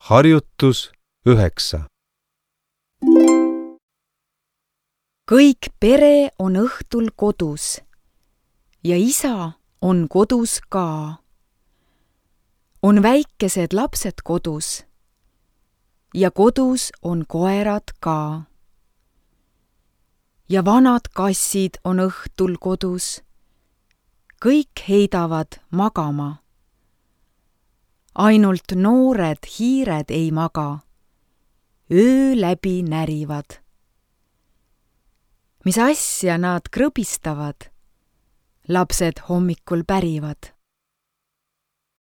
Harjutus 9. Kõik pere on õhtul kodus ja isa on kodus ka. On väikesed lapsed kodus ja kodus on koerad ka. Ja vanad kassid on õhtul kodus. Kõik heidavad magama. Ainult noored hiired ei maga. Öö läbi närivad. Mis asja nad krõbistavad? Lapsed hommikul pärivad.